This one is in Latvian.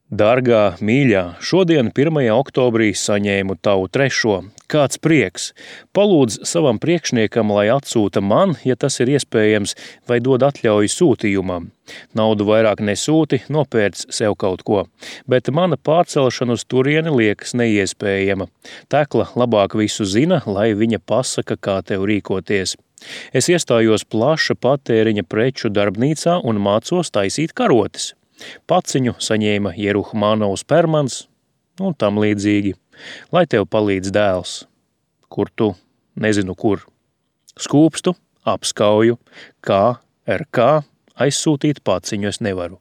Dārgā, mīļā, šodien 1. oktobrī saņēmu tavu 3. Kāds prieks! Palūdz savam priekšniekam, lai atsūta man, ja tas ir iespējams, vai dod atļauju sūtījumam. Naudu vairāk nesūti, nopērc sev kaut ko, bet mana pārcelšana uz turieni liekas neiespējama. Tekla labāk visu zina, lai viņa pasaka, kā tev rīkoties. Es iestājos plaša patēriņa preču darbnīcā un mācos taisīt karotes. Paciņu saņēma Jeruhmanovs Permans un tam līdzīgi. Lai tev palīdz dēls. Kur tu? Nezinu kur. Skūpstu, apskauju, kā aizsūtīt paciņu es nevaru.